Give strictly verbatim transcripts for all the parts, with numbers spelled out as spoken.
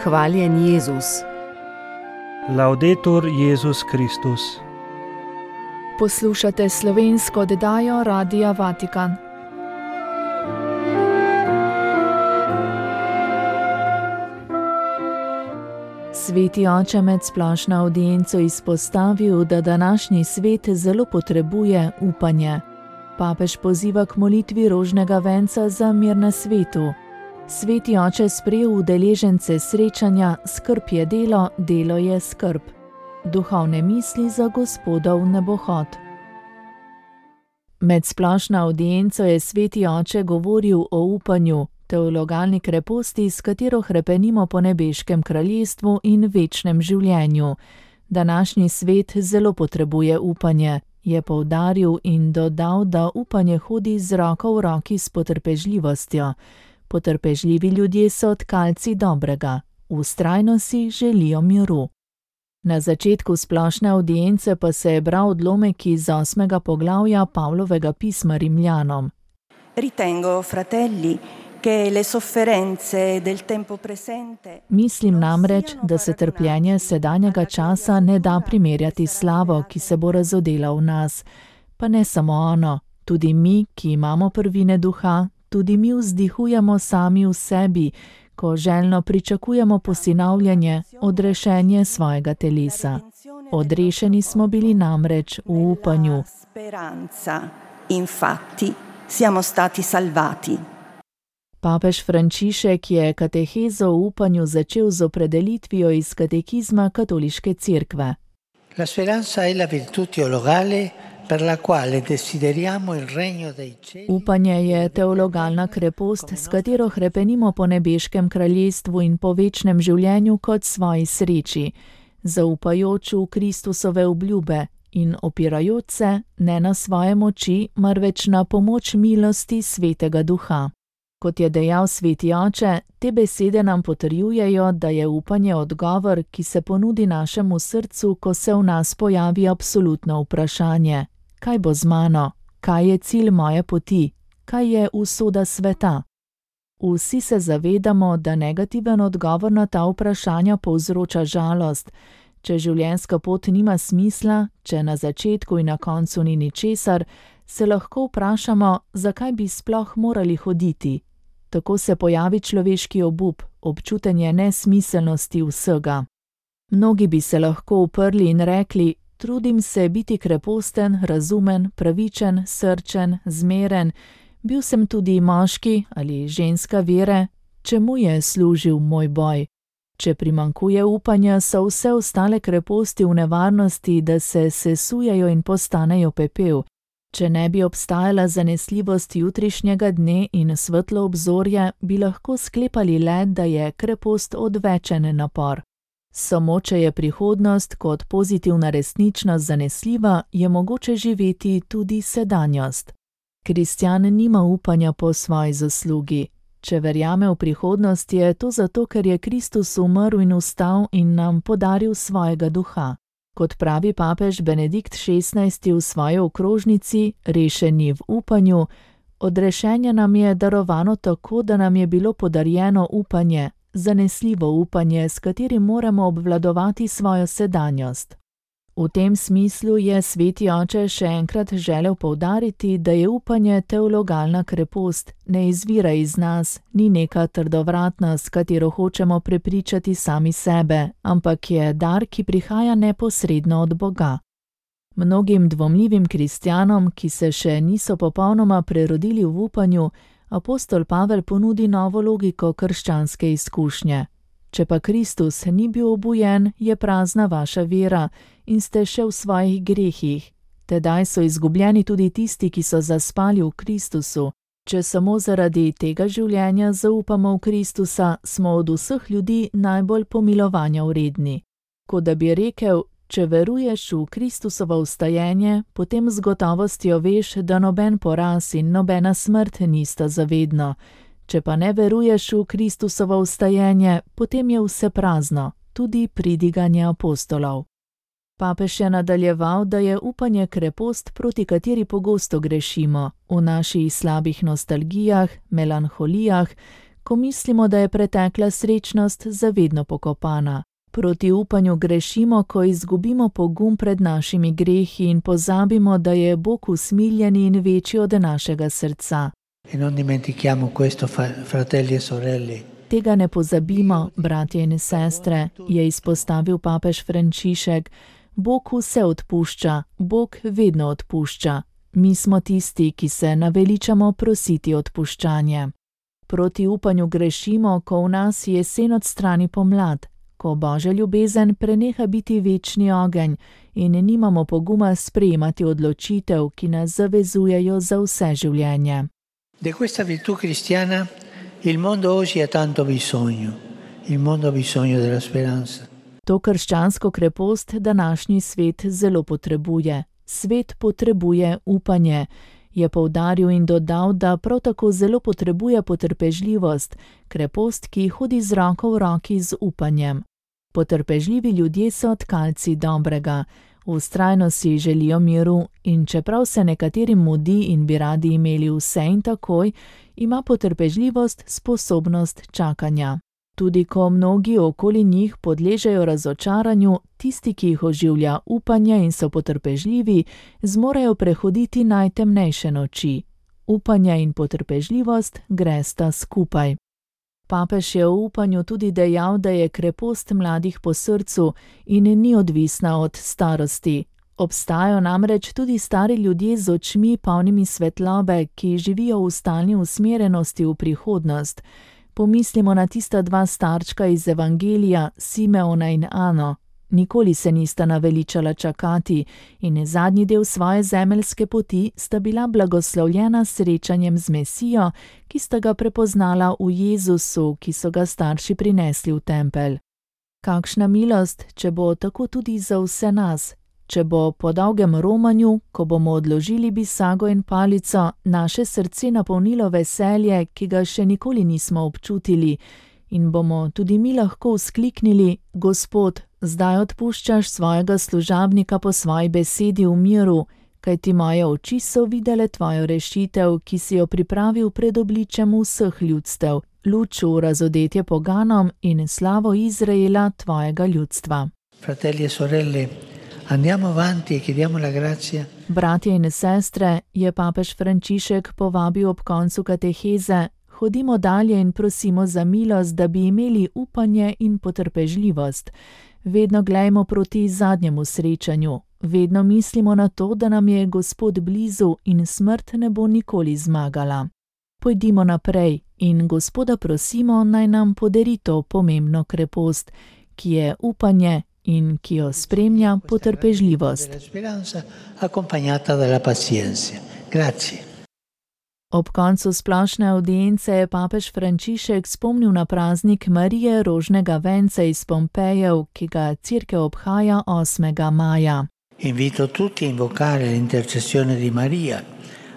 Hvaljen Jezus. Laudetur Jezus Kristus. Poslušate slovensko oddajo Radia Vatikan. Sveti oče med splošno avdienco izpostavil, da današnji svet zelo potrebuje upanje. Papež poziva k molitvi rožnega venca za mir na svetu. Sveti oče sprejel udeležence srečanja Skrb je delo, delo je skrb. Duhovne misli za Gospodov nebohod. Med splošno avdienco je sveti oče govoril o upanju, teologalni kreposti, s katero hrepenimo po nebeškem kraljestvu in večnem življenju. Današnji svet zelo potrebuje upanje, je poudaril in dodal, da upanje hodi z roko v roki s potrpežljivostjo. Potrpežljivi ljudje so tkalci dobrega, vztrajno si želijo miru. Na začetku splošne avdience pa se je bral odlomek iz osmega poglavja Pavlovega pisma Rimljanom. Ritengo, fratelli, che le sofferenze del tempo presente... Mislim namreč, da se trpljenje sedanjega časa ne da primerjati s slavo, ki se bo razodela v nas. Pa ne samo ono, tudi mi, ki imamo prvine duha, tudi mi vzdihujemo sami v sebi, ko željno pričakujemo posinavljanje, odrešenje svojega telesa. Odrešeni smo bili namreč v upanju. Infatti, siamo stati salvati. Papež Frančišek je katehezo o upanju začel z opredelitvijo iz katekizma Katoliške cerkve. La speranza è la virtù teologale per la quale desideriamo il regno dei cieli. Upanje je teologalna krepost, s katero hrepenimo po nebeškem kraljestvu in po večnem življenju kot svoji sreči, zaupajoč v Kristusove obljube in opirajoč se ne na svoje moči, marveč na pomoč milosti Svetega Duha. Kot je dejal sveti oče, te besede nam potrjujejo, da je upanje odgovor, ki se ponudi našemu srcu, ko se v nas pojavi absolutno vprašanje. Kaj bo z mano? Kaj je cilj moje poti? Kaj je usoda sveta? Vsi se zavedamo, da negativen odgovor na ta vprašanja povzroča žalost. Če življenjska pot nima smisla, če na začetku in na koncu ni ničesar, se lahko vprašamo, zakaj bi sploh morali hoditi. Tako se pojavi človeški obup, občutenje nesmiselnosti vsega. Mnogi bi se lahko uprli in rekli, trudim se biti kreposten, razumen, pravičen, srčen, zmeren, bil sem tudi moški ali ženska vere, čemu je služil moj boj? Če primanjkuje upanja, so vse ostale kreposti v nevarnosti, da se sesujejo in postanejo pepel. Če ne bi obstajala zanesljivost jutrišnjega dne in svetlo obzorje, bi lahko sklepali le, da je krepost odvečen napor. Samo če je prihodnost kot pozitivna resničnost zanesljiva, je mogoče živeti tudi sedanjost. Kristjan nima upanja po svoji zaslugi. Če verjame v prihodnost, je to zato, ker je Kristus umrl in vstal in nam podaril svojega duha. Kot pravi papež Benedikt šestnajsti v svoji okrožnici, rešeni v upanju, odrešenje nam je darovano tako, da nam je bilo podarjeno upanje, zanesljivo upanje, s katerim moramo obvladovati svojo sedanjost. V tem smislu je sveti oče še enkrat želel poudariti, da je upanje teologalna krepost, ne izvira iz nas, ni neka trdovratna, s katero hočemo prepričati sami sebe, ampak je dar, ki prihaja neposredno od Boga. Mnogim dvomljivim kristjanom, ki se še niso popolnoma prerodili v upanju, apostol Pavel ponudi novo logiko krščanske izkušnje. Če pa Kristus ni bil obujen, je prazna vaša vera in ste še v svojih grehih. Tedaj so izgubljeni tudi tisti, ki so zaspali v Kristusu. Če samo zaradi tega življenja zaupamo v Kristusa, smo od vseh ljudi najbolj pomilovanja vredni. Kot da bi rekel, če veruješ v Kristusovo vstajenje, potem z gotovostjo veš, da noben poraz in nobena smrt nista zavedno. Če pa ne veruješ v Kristusovo vstajenje, potem je vse prazno, tudi pridiganje apostolov. Papež je nadaljeval, da je upanje krepost, proti kateri pogosto grešimo, v naših slabih nostalgijah, melanholijah, ko mislimo, da je pretekla srečnost zavedno pokopana. Proti upanju grešimo, ko izgubimo pogum pred našimi grehi in pozabimo, da je Bog usmiljen in večji od našega srca. E non dimentichiamo questo, fratelli e sorelle. Tega ne pozabimo, bratje in sestre, je izpostavil papež Frančišek. Bog vse odpušča, Bog vedno odpušča. Mi smo tisti, ki se naveličamo prositi odpuščanje. Proti upanju grešimo, ko v nas jesen odstrani pomlad, ko Božja ljubezen preneha biti večni ogenj in nimamo poguma sprejemati odločitev, ki nas zavezujejo za vse življenje. Di questa virtù cristiana il mondo oggi ha tanto bisogno. Il mondo ha bisogno della speranza. To krščansko krepost današnji svet zelo potrebuje. Svet potrebuje upanje. Je poudaril in dodal, da prav tako zelo potrebuje potrpežljivost, krepost, ki hodi z roko v roki z upanjem. Potrpežljivi ljudje so tkalci dobrega. Vztrajno si želijo miru in čeprav se nekaterim mudi in bi radi imeli vse in takoj, ima potrpežljivost sposobnost čakanja. Tudi ko mnogi okoli njih podležejo razočaranju, tisti, ki jih oživlja upanje in so potrpežljivi, zmorejo prehoditi najtemnejše noči. Upanje in potrpežljivost gresta skupaj. Papež je v upanju tudi dejal, da je krepost mladih po srcu in ni odvisna od starosti. Obstajajo namreč tudi stari ljudje z očmi polnimi svetlobe, ki živijo v stalni usmerjenosti v prihodnost. Pomislimo na tista dva starčka iz Evangelija, Simeona in Ano. Nikoli se nista naveličala čakati in zadnji del svoje zemeljske poti sta bila blagoslovljena s srečanjem z Mesijo, ki sta ga prepoznala v Jezusu, ki so ga starši prinesli v tempelj. Kakšna milost, če bo tako tudi za vse nas, če bo po dolgem romanju, ko bomo odložili bisago in palico, naše srce napolnilo veselje, ki ga še nikoli nismo občutili, in bomo tudi mi lahko vzkliknili: Gospod, zdaj odpuščaš svojega služabnika po svoji besedi v miru, kajti moje oči so videle tvojo rešitev, ki si jo pripravil pred obličem vseh ljudstev, luč v razodetje poganom in slavo Izraela, tvojega ljudstva. Fratelli e sorelle, andiamo avanti e chiediamo la grazia. Bratje in sestre, je papež Frančišek povabil ob koncu kateheze: hodimo dalje in prosimo za milost, da bi imeli upanje in potrpežljivost. Vedno glejmo proti zadnjemu srečanju. Vedno mislimo na to, da nam je Gospod blizu in smrt ne bo nikoli zmagala. Pojdimo naprej in Gospoda prosimo, naj nam podari to pomembno krepost, ki je upanje in ki jo spremlja potrpežljivost. Ob koncu splošne avdience je papež Frančišek spomnil na praznik Marije rožnega venca iz Pompejev, ki ga Cerkev obhaja osmega maja. Invito tutti a invocare l'intercessione di Maria,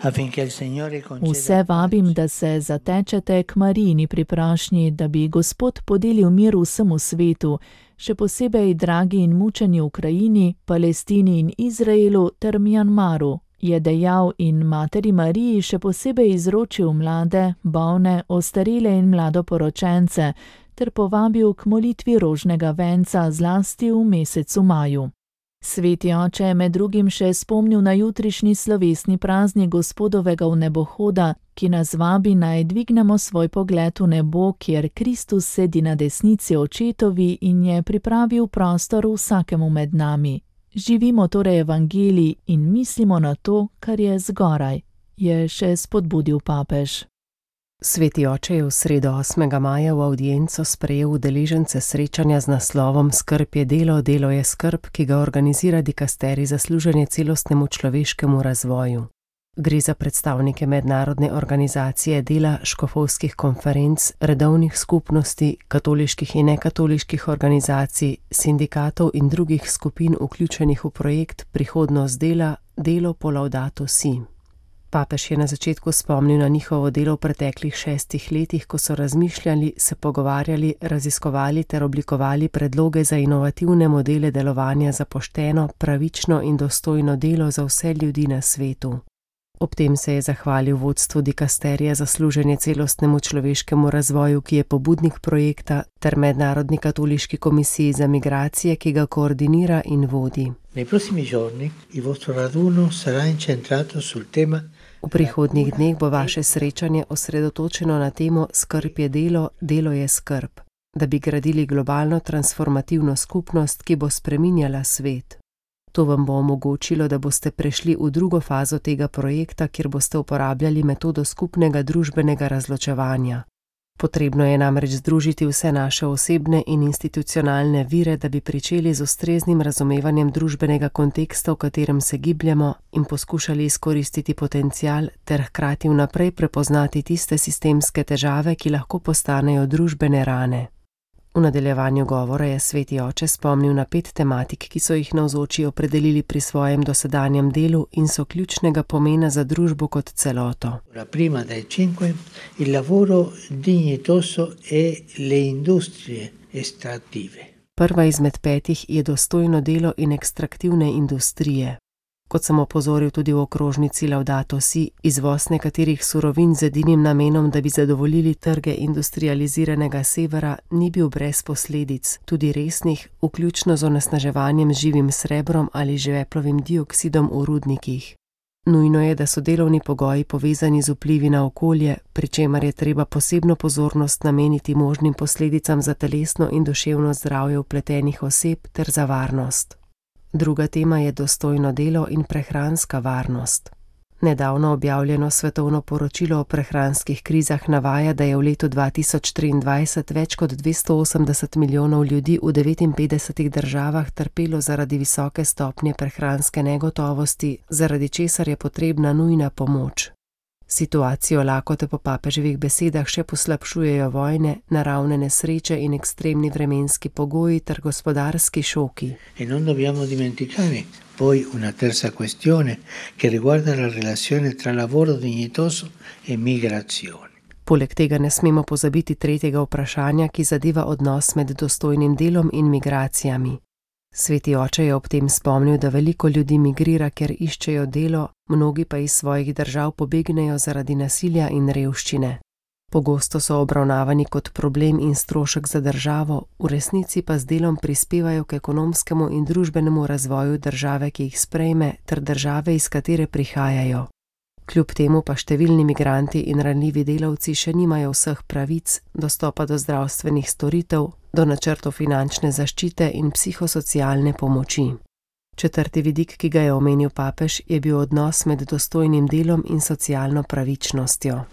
affinché il Signore conceda... Vse vabim, da se zatečete k Marijini priprošnji, da bi Gospod podelil mir vsemu svetu, še posebej dragi in mučeni Ukrajini, Palestini in Izraelu ter Mjanmaru, je dejal in materi Mariji še posebej izročil mlade, bolne, ostarele in mladoporočence ter povabil k molitvi rožnega venca zlasti v mesecu maju. Sveti oče je med drugim še spomnil na jutrišnji slovesni praznik Gospodovega vnebohoda, ki nas vabi naj dvignemo svoj pogled v nebo, kjer Kristus sedi na desnici očetovi in je pripravil prostor vsakemu med nami. Živimo torej evangelij in mislimo na to, kar je zgoraj, je še spodbudil papež. Sveti oče je v sredo osmega maja v avdienco sprejel udeležence srečanja z naslovom Skrb je delo, delo je skrb, ki ga organizira dikasterij za služenje celostnemu človeškemu razvoju. Gre za predstavnike mednarodne organizacije dela, škofovskih konferenc, redovnih skupnosti, katoliških in nekatoliških organizacij, sindikatov in drugih skupin vključenih v projekt Prihodnost dela, delo po Laudato Si. Papež je na začetku spomnil na njihovo delo v preteklih šestih letih, ko so razmišljali, se pogovarjali, raziskovali ter oblikovali predloge za inovativne modele delovanja za pošteno, pravično in dostojno delo za vse ljudi na svetu. Ob tem se je zahvalil vodstvu dikasterija za služenje celostnemu človeškemu razvoju, ki je pobudnik projekta, ter Mednarodni katoliški komisiji za migracije, ki ga koordinira in vodi. Nei prossimi giorni il vostro raduno sarà incentrato sul tema. V prihodnjih dneh bo vaše srečanje osredotočeno na temo Skrb je delo, delo je skrb, da bi gradili globalno transformativno skupnost, ki bo spreminjala svet. To vam bo omogočilo, da boste prešli v drugo fazo tega projekta, kjer boste uporabljali metodo skupnega družbenega razločevanja. Potrebno je namreč združiti vse naše osebne in institucionalne vire, da bi pričeli z ustreznim razumevanjem družbenega konteksta, v katerem se gibljemo, in poskušali izkoristiti potencial ter hkrati vnaprej prepoznati tiste sistemske težave, ki lahko postanejo družbene rane. V nadaljevanju govora je Sveti oče spomnil na pet tematik, ki so jih navzoči opredelili pri svojem dosedanjem delu in so ključnega pomena za družbo kot celoto. La prima dei cinque, il lavoro dignitoso e le industrie estrattive. Prva izmed petih je dostojno delo in ekstraktivne industrije. Kot sem opozoril tudi v okrožnici Laudato Si, izvoz nekaterih surovin z edinim namenom, da bi zadovoljili trge industrializiranega severa, ni bil brez posledic, tudi resnih, vključno z onesnaževanjem z živim srebrom ali žveplovim dioksidom v rudnikih. Nujno je, da so delovni pogoji povezani z vplivi na okolje, pri čemer je treba posebno pozornost nameniti možnim posledicam za telesno in duševno zdravje vpletenih oseb ter za varnost. Druga tema je dostojno delo in prehranska varnost. Nedavno objavljeno svetovno poročilo o prehranskih krizah navaja, da je v letu dva tisoč triindvajset več kot dvesto osemdeset milijonov ljudi v devetinpetdesetih državah trpelo zaradi visoke stopnje prehranske negotovosti, zaradi česar je potrebna nujna pomoč. Situacijo lakote po papeževih besedah še poslabšujejo vojne, naravne nesreče in ekstremni vremenski pogoji ter gospodarski šoki. E non dobbiamo dimenticare poi una terza questione che riguarda la relazione tra lavoro dignitoso e migrazione. Poleg tega ne smemo pozabiti tretjega vprašanja, ki zadeva odnos med dostojnim delom in migracijami. Sveti oče je ob tem spomnil, da veliko ljudi migrira, ker iščejo delo, mnogi pa iz svojih držav pobegnejo zaradi nasilja in revščine. Pogosto so obravnavani kot problem in strošek za državo, v resnici pa z delom prispevajo k ekonomskemu in družbenemu razvoju države, ki jih sprejme, ter države, iz katere prihajajo. Kljub temu pa številni migranti in ranljivi delavci še nimajo vseh pravic, dostopa do zdravstvenih storitev, do načrtov finančne zaščite in psihosocialne pomoči. Četrti vidik, ki ga je omenil papež, je bil odnos med dostojnim delom in socialno pravičnostjo.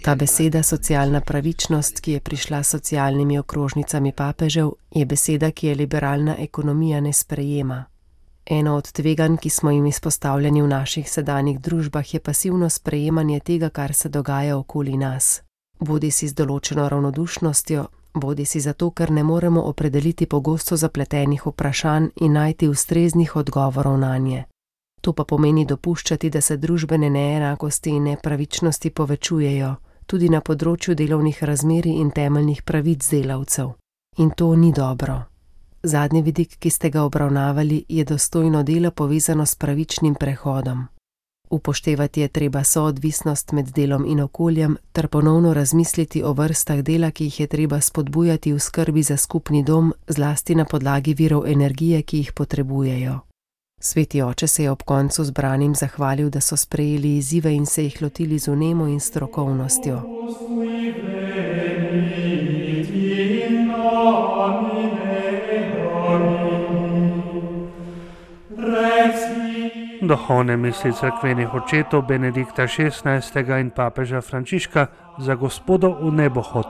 Ta beseda socialna pravičnost, ki je prišla s socialnimi okrožnicami papežev, je beseda, ki je liberalna ekonomija ne sprejema. Eno od tveganj, ki smo jim izpostavljeni v naših sedanjih družbah, je pasivno sprejemanje tega, kar se dogaja okoli nas. Bodi si z določeno ravnodušnostjo, bodi si zato, ker ne moremo opredeliti pogosto zapletenih vprašanj in najti ustreznih odgovorov nanje. To pa pomeni dopuščati, da se družbene neenakosti in nepravičnosti povečujejo, tudi na področju delovnih razmerij in temeljnih pravic delavcev. In to ni dobro. Zadnji vidik, ki ste ga obravnavali, je dostojno delo povezano s pravičnim prehodom. Upoštevati je treba soodvisnost med delom in okoljem ter ponovno razmisliti o vrstah dela, ki jih je treba spodbujati v skrbi za skupni dom, zlasti na podlagi virov energije, ki jih potrebujejo. Sveti oče se je ob koncu zbranim zahvalil, da so sprejeli izzive in se jih lotili z vnemo in strokovnostjo. Duhovne misli cerkvenih očetov Benedikta šestnajstega in papeža Frančiška za Gospodov v nebohod.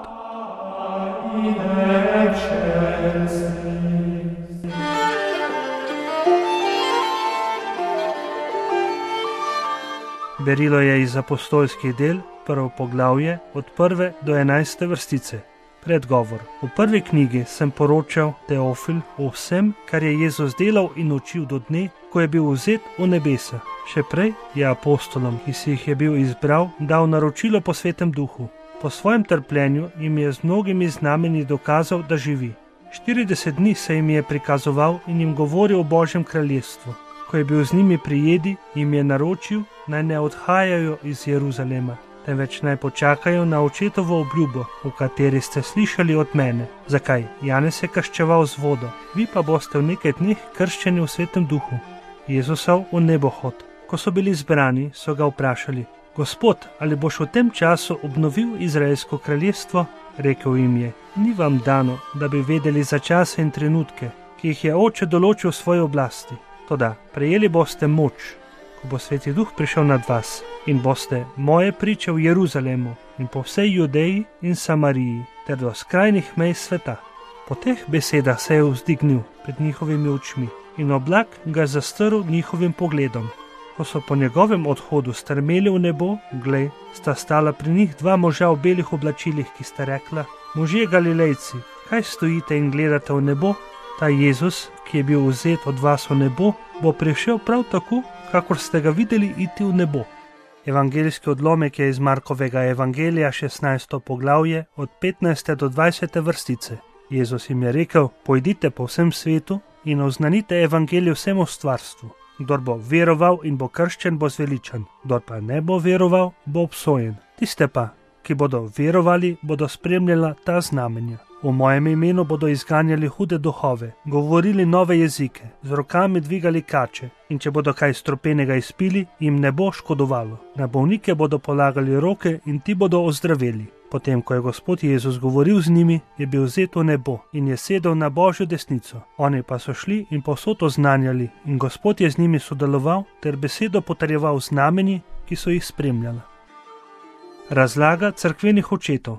Berilo je iz apostolskih del, prvo poglavje, od prve do enajste vrstice. Predgovor. V prvi knjigi sem poročal Teofil o vsem, kar je Jezus delal in učil do dne, ko je bil vzet v nebesa. Še prej je apostolom, ki si jih je bil izbral, dal naročilo po Svetem Duhu. Po svojem trpljenju jim je z mnogimi znamenji dokazal, da živi. štirideset dni se jim je prikazoval in jim govoril o Božjem kraljestvu. ko je bil z njimi pri jedi, jim je naročil, naj ne odhajajo iz Jeruzalema, temveč naj počakajo na očetovo obljubo, v kateri ste slišali od mene. Zakaj? Janez je krščeval z vodo, vi pa boste v nekaj dneh krščeni v Svetem duhu. Jezusov v nebohod. Ko so bili zbrani, so ga vprašali: Gospod, ali boš v tem času obnovil Izraelsko kraljestvo? Rekel jim je: Ni vam dano, da bi vedeli za čase in trenutke, ki jih je Oče določil v svoji oblasti. Toda prejeli boste moč, ko bo Sveti Duh prišel nad vas, in boste moje priče v Jeruzalemu in po vsej Judeji in Samariji ter do skrajnih mej sveta. Po teh besedah se je vzdignil pred njihovimi očmi in oblak ga zastrl njihovim pogledom. Ko so po njegovem odhodu strmeli v nebo, glej, sta stala pri njih dva moža v belih oblačilih, ki sta rekla: Možje Galilejci, kaj stojite in gledate v nebo? Ta Jezus, ki je bil vzet od vas v nebo, bo prišel prav tako, kakor ste ga videli iti v nebo. Evangeljski odlomek je iz Markovega evangelija, šestnajsto poglavje, od petnajste do dvajsete vrstice. Jezus jim je rekel: Pojdite po vsem svetu in oznanite evangelij vsemu stvarstvu. Kdor bo veroval in bo krščen, bo zveličan, kdor pa ne bo veroval, bo obsojen. Tiste pa, ki bodo verovali, bodo spremljala ta znamenja. V mojem imenu bodo izganjali hude duhove, govorili nove jezike, z rokami dvigali kače, in če bodo kaj stropenega izpili, jim ne bo škodovalo. Na bolnike bodo polagali roke in ti bodo ozdraveli. Potem, ko je Gospod Jezus govoril z njimi, je bil vzet v nebo in je sedel na Božjo desnico. Oni pa so šli in povsod oznanjali, in Gospod je z njimi sodeloval ter besedo potrjeval znamenji, ki so jih spremljala. Razlaga cerkvenih očetov.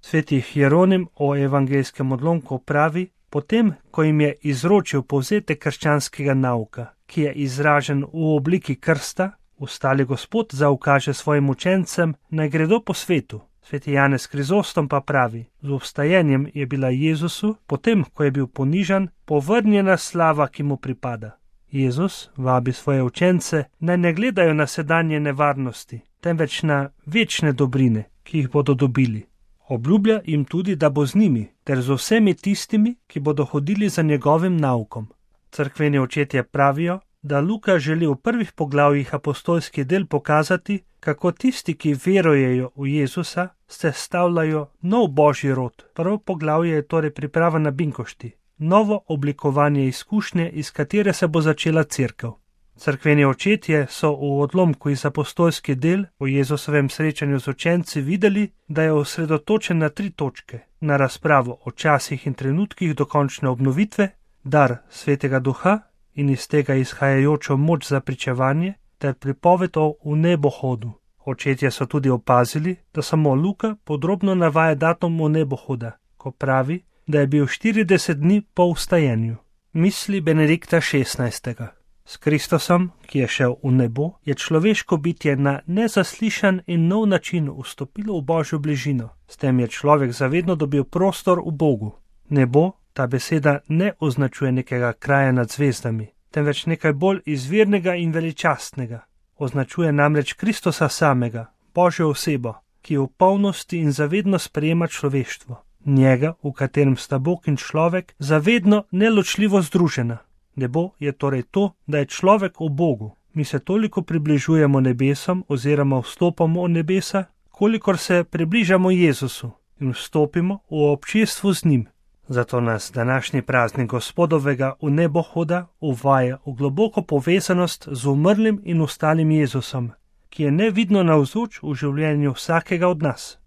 Sveti Hieronim o evangeljskem odlomku pravi: Potem, ko jim je izročil povzetek krščanskega nauka, ki je izražen v obliki krsta, ustali Gospod zaukaže svojim učencem, naj gredo po svetu. Sveti Janez Krizostom pa pravi: Z obstajenjem je bila Jezusu, potem, ko je bil ponižan, povrnjena slava, ki mu pripada. Jezus vabi svoje učence, naj ne gledajo na sedanje nevarnosti, temveč na večne dobrine, ki jih bodo dobili. Obljublja jim tudi, da bo z njimi, ter z vsemi tistimi, ki bodo hodili za njegovim naukom. Cerkveni očetje pravijo, da Luka želi v prvih poglavjih apostolskih del pokazati, kako tisti, ki verujejo v Jezusa, sestavljajo nov božji rod. Prvo poglavje je torej priprava na binkošti, novo oblikovanje izkušnje, iz katere se bo začela cerkev. Cerkveni očetje so v odlomku iz apostolskih del o Jezusovem srečanju z učenci videli, da je osredotočen na tri točke: na razpravo o časih in trenutkih dokončne obnovitve, dar Svetega Duha in iz tega izhajajočo moč za pričevanje ter pripoved o vnebohodu. Očetje so tudi opazili, da samo Luka podrobno navaja datum vnebohoda, ko pravi, da je bil štirideset dni po vstajenju. Misli Benedikta šestnajstega. S Kristusom, ki je šel v nebo, je človeško bitje na nezaslišan in nov način vstopilo v Božjo bližino. S tem je človek zavedno dobil prostor v Bogu. Nebo, ta beseda ne označuje nekega kraja nad zvezdami, temveč nekaj bolj izvirnega in veličastnega. Označuje namreč Kristusa samega, Božjo osebo, ki v polnosti in zavedno sprejema človeštvo. Njega, v katerem sta Bog in človek zavedno neločljivo združena. Nebo je torej to, da je človek v Bogu. Mi se toliko približujemo nebesom oziroma vstopamo v nebesa, kolikor se približamo Jezusu in vstopimo v občestvo z njim. Zato nas današnji praznik Gospodovega vnebohoda uvaja v globoko povezanost z umrlim in ostalim Jezusom, ki je nevidno navzoč v življenju vsakega od nas.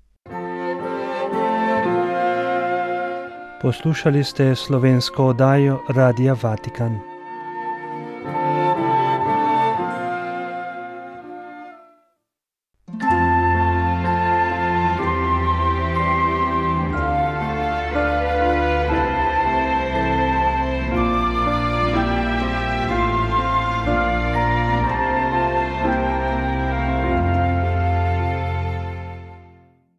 Poslušali ste slovensko oddajo Radia Vatikan.